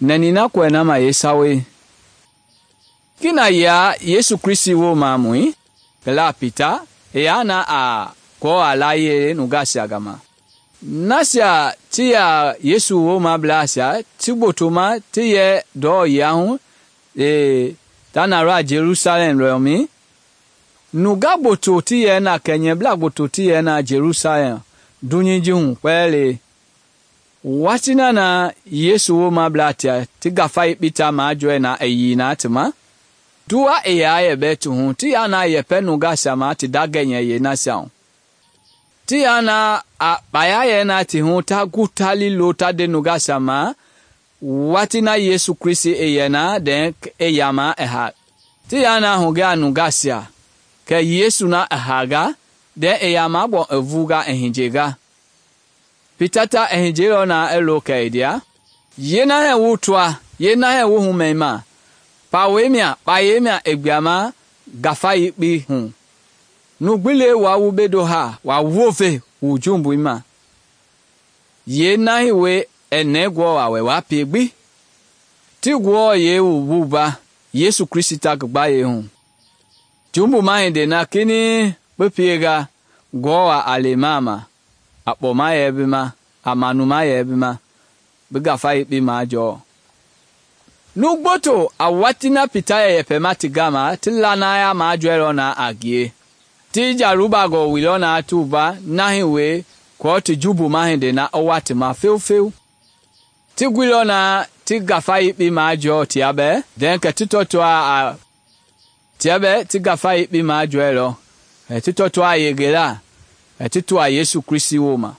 nɛni na kɔɛ na ma yeesawei. Kina ya Yesu Kristi woomamɔi, kɛla Pita i yaa na a Ngewɔ layie nungaisia gama. Nasia ti yɛ Yesu woomableisia ti gbotoma ti yɛ ndɔ yia hu ta na ra Jerusalem lɔmɛi. Nungaa gboto ti yɛ na kɛnyɛblaa gboto ti yɛ na Jerusalem dunyei ji hu kpɛlɛɛ. Watii na Yesu woomableisia ti ngafa yekpei ta majɔɛ na i yii na ti ma, duwa i yaa yɛ bɛ ti hu ti yaa na yɛpɛ nungaisia ma ti da gɛnyɛ yeenasia hu. Ti yaa na a kpaya yɛ na ti hu ta gu tali lo ta de nungaisia ma watii na Yesu Kristi i yɛ na dɛn i yama i ha. Ti yaa na hugɛ a nungaisia kɛ Yesu na i haanga dɛn i yama gbɔ i vuuga i hiyenga. Pita ta i hiyeilɔ na i lo kɛ i ndia, yeenahɛ wu toa, yeenahɛ wu humɛima, kpayei mia i gbiama ngafa yekpei hu. Nugbi le wa wu bedo ha wa wove wu jumbui ma. Yeenahi we i nɛɛ Ngewɔ wɛ wa pie gbi. Ti Ngewɔ yee wu wuva Yesu Kristi ta ngi gbayei hu. Jumbuma hindei na kinɛiŋ bi pienga Ngewɔ a lema ma, a kpɔma yɛ bi ma, a manuma yɛ bi ma, bi ngafa yekpei majɔɔ. Nugboto a watii na Pita yɛ yɛpɛma ti gama ti lanaya majɔɛlɔ na a ngie. Ti jalubagɔ wilɔ na ti wuva nahi we kɔɔ ti jumbuma hindei na i wa ti ma feufeu. Ti guilɔ na ti ngafa yekpei majɔɔ tia bɛ, dɛn kɛ ti tɔtɔa a tia bɛ ti ngafa yekpei majɔɛlɔ, ti tɔtɔa a yengela, ti toa Yesu Kristi wooma.